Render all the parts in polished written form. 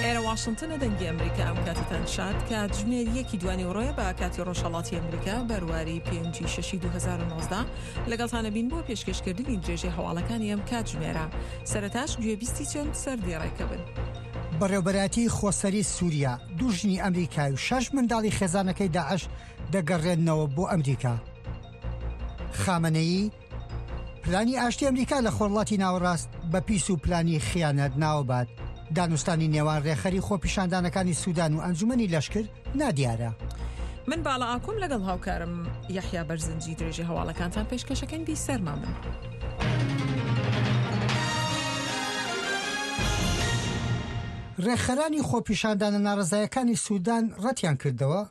ئێرە واشنتنە دەنگی ئەمریکا ئەم کاتتان شاد کاتژمێر یەکی دوانیوەڕۆیە بە کاتی ڕۆژهەڵاتی ئەمریکا بەرواری پێنجی شەشی 2019 لەگەڵتانە بین بۆ پێشکەشکردنی درێژەی هەواڵەکانی ئەم کاتژمێرە سەرەتاش گوێبیستی چەند سەردێڕێکە بن. بەڕێوبەرایەتی خۆسەری سووریا دوو ژنی ئەمریکای و شەش منداڵی خێزانەکەی داعش دەگەڕێننەوە بۆ ئەمریکا. خامنەیی، پلانی ئاشتی ئەمریکا لە خۆرڵاتی ناوەڕاست بە پیس و پلانی خیانەت ناوبات. دانوستانی نێوان رێکخەری خۆپیشاندانەکانی سودان و ئەنجومەنی لەشکر نادیارە. من باڵا ئاکۆم لەگەڵ هاوکارم یەحیا بەرزنجی درێژەی هەواڵەکانتان پێشکەشەکەین بیسەرمان بن. رێکخەرانی خۆپیشاندانە ناڕەزایەکانی سودان رەتیان کردەوە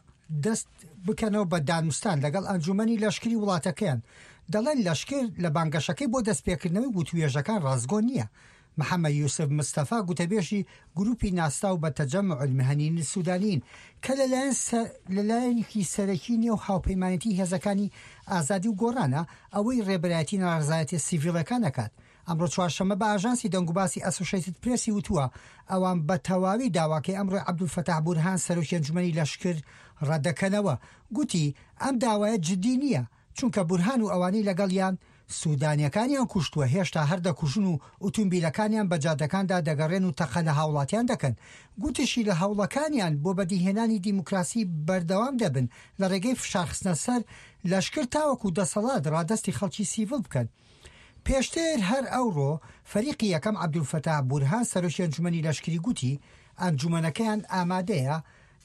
دەست بکەنەوە بە دانوستان لەگەڵ ئەنجومەنی لەشکری وڵاتەکەیان، دەڵێن لەشکر لە بانگەشەکەی بۆ دەستپێکردنەوەی وتووێژەکان ڕاستگۆ نییە. محەمەد یوسف مستەفا گوتەبێژی گروپی ناسراو بە تەجەمع المهنیین السودانیین کە لەلایەن لەلایەنێکی سەرەکی نێو هاوپەیمانێتی هێزەکانی ئازادی و گۆڕانە ئەوەی ڕێبەرایەتی ناڕەزایەتیە سیڤیلەکان ئەکات ئەمڕۆ چوارشەممە بە ئاژانسی دەنگوباسی ئەسۆشەیتد پرێسی وتووە، ئەوان بە تەواوی داواکەی ئەمڕۆی عەبدولفەتاح بورهان سەرۆکی ئەنجومەنی لەشکر ڕەتدەکەنەوە. گوتی، ئەم داوایە جدی نییە، چونکە بورهان و ئەوانەی لەگەڵیان سودانییەکانیان کوشتووە هێشتا هەر دەکوژن و ئوتومبیلەکانیان بە جادەکاندا دەگەڕێن و تەقە لە هاوڵاتیان دەکەن. گوتیشی لە هەوڵەکانیان بۆ بەدیهێنانی دیموکراسی بەردەوام دەبن لە ڕێگەی فشارخستنە سەر لەشکر تاوەکو دەسەڵات ڕادەستی خەڵکی سیڤڵ بکەن. پێشتر هەر ئەوڕۆ فەریقی یەکەم عەبدولفەتاح بورهان سەرۆکی ئەنجومەنی لەشکری گوتی، ئەنجومەنەکەیان ئامادەیە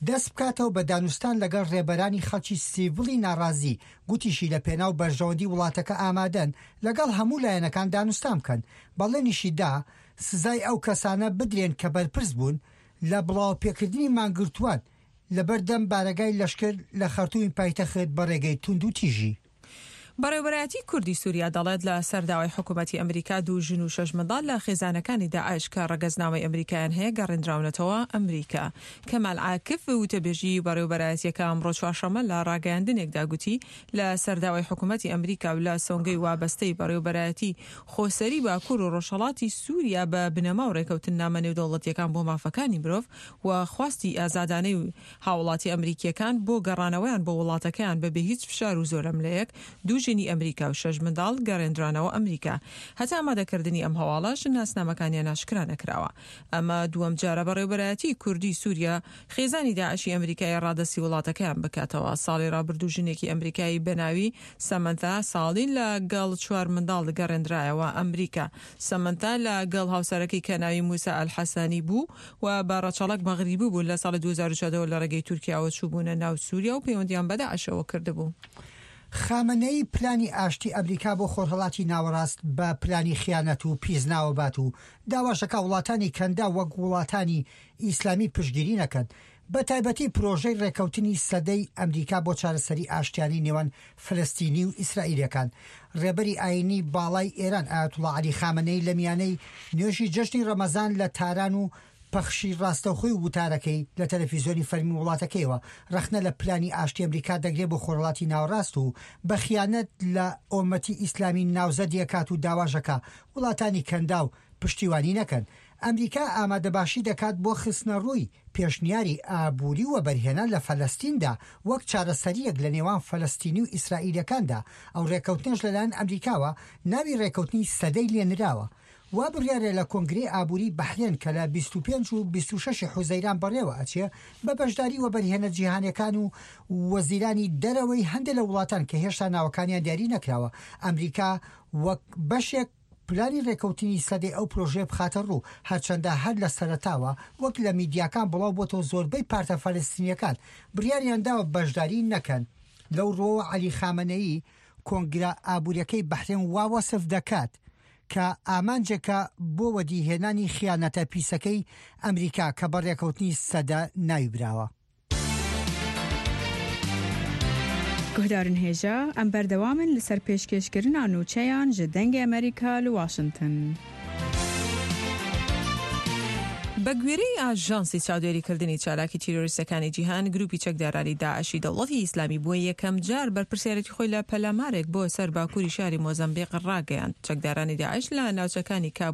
دەست بکاتەوە بە دانوستان لەگەڵ رێبەرانی خەڵکی سیڤڵی ناڕازی، گوتیشی لە پێناو بەرژەوەندی وڵاتەکە ئامادەن لەگەڵ هەموو لایەنەکان دانوستان بکەن، بەڵێنیشی دا سزای ئەو کەسانە بدرێن کە بەرپرس بوون لە بڵاوەپێکردنی مانگرتووان لەبەردەم بارەگای لەشکر لە خەرتومی پایتەخت بە رێگەی توندوتیژی. بەڕێوەبەرایەتی کوردی سوریا دەڵێت لە سەر داوای حکومەتی ئەمریکا دوو ژن و شەش منداڵ لە خێزانەکانی داعش کە ڕەگەزنامەی ئەمریکایان هەیە گەڕێندراونەتەوە ئەمریکا. کەمال عاکف وتەبێژی بەڕێوەبەرایەتیەکە ئەمڕۆ چوارشەممە لە ڕاگەیاندنێکدا گوتی لە سەر داوای حکومەتی ئەمریکا و لە سۆنگەی وابەستەی بەڕێوەبەرایەتی خۆسەری باکور و ڕۆژهەڵاتی سوریا بە بنەما و ڕێکەوتننامە نێودەوڵەتیەکان بۆ مافەکانی مرۆڤ و خواستی ئازادانەی هاوڵاتی ئەمریکییەکان بۆ گەڕانەوەیان بۆ وڵاتەکەیان بەبێ هیچ فشار و زۆرەملێیەک، دوو ژنی ئەمریکا و شەش منداڵ گەڕێندرانەوە ئەمریکا. هەتا ئامادەکردنی ئەم هەواڵەش ناسنامەکانیان ئاشکرا نەکراوە. ئەمە دووەم جارە بەڕێوبەرایەتیی کوردی سووریا خێزانی داعشی ئەمریکایی ڕادەستی وڵاتەکەیان بکاتەوە. ساڵی ڕابردوو ژنێکی ئەمریکایی بەناوی سەمەنتا ساڵی لە گەڵ چوار منداڵ گەڕێندرایەوە ئەمریکا. سەمەنتا لە گەڵ هاوسەرەکەی کە ناوی موسا ئەلحەسەنی بوو و بە ڕەچەڵەک مەغریبی بوون لە ساڵی 2014 وە لە ڕێگەی تورکیاوە چووبوونە ناو سووریا و پەیوەندیان بە داعشەوە کردبوو. خامنەیی پلانی ئاشتی ئەمریکا بۆ خۆرهەڵاتی ناوەڕاست بە پلانی خیانەت و پیس ناوەبات و داواش دەکا وڵاتانی کەنداو وەک وڵاتانی ئیسلامی پشتگیری نەکەن بە تایبەتی پرۆژەی ڕێکەوتنی سەدەی ئەمریکا بۆ چارەسەری ئاشتیانەی نێوان فلستینی و ئیسرائیلیەکان. ڕێبەری ئایینی باڵای ئێران ئایەتوڵا عەلی خامەنەیی لە میانەی نوێژی جەژنی ڕەمەزان لە تاران و پەخشی ڕاستەوخۆی وتارەکەی لە تەلەفیزیۆنی فەرمی وڵاتەکەیەوە ڕەخنە لە پلانی ئاشتی ئەمریکا دەگرێ بۆ خۆرهەڵاتی ناوەڕاست و بە خیانەت لە ئۆمەتی ئیسلامی ناوزەدی ئەکات و داواش ئەکا وڵاتانی کەنداو پشتیوانی نەکەن. ئەمریکا ئامادەباشی دەکات بۆ خستنەڕووی پێشنیاری ئابووری وەبەرهێنان لە فەلەستیندا وەک چارەسەرییەک لە نێوان فەلەستینی و ئیسرائیلیەکاندا، ئەو رێککەوتنەش لەلایەن ئەمریکاوە ناوی رێککەوتنی سەدەی لێنراوە. وا بڕیارە لە کۆنگرەی ئابووری بەحرێن کە لە 25 و 26 حوزەیران بەڕێوە ئەچێ بە بەشداری وەبەرهێنە جیهانیەکان و وەزیرانی دەرەوەی هەندێ لە وڵاتان کە هێشتا ناوەکانیان دیاری نەکراوە ئەمریکا وەک بەشێک پلانی رێکەوتنی سەدەی ئەو پرۆژەیە بخاتە ڕوو، هەرچەندە هەر لە سەرەتاوە وەک لە میدیاکان بڵاو بۆتەوە زۆربەی پارتە فەلەستینیەکان بڕیاریان داوە بەشداری نەکەن. لەو ڕووەوە عەلی خامەنەیی کۆنگرە ئابووریەکەی بەحرێن وا وەسف دەکات کە ئامانجێکە بۆ وەدیهێنانی خیانەتە پیسەکەی ئەمریکا کە بە رێکەوتنی سەدە ناوی براوە. Guhdarên hêja, em berdewam in li ser pêşkêşkirina nûçeyan ji Dengê Amerîka li Washington. بەگوێرەی ئاژانسی چاودێریکردنی چالاکی تیرۆریستەکانی جیهان، گروپی چەکدارانی داعشی دەوڵەتی ئیسلامی بۆ یەکەمجار بەرپرسیارێتی خۆی لە پەلامارێک بۆ سەر باکووری شاری مۆزەمبیق ڕاگەیاند. چەکدارانی داعش لە ناوچەکانی کابۆ.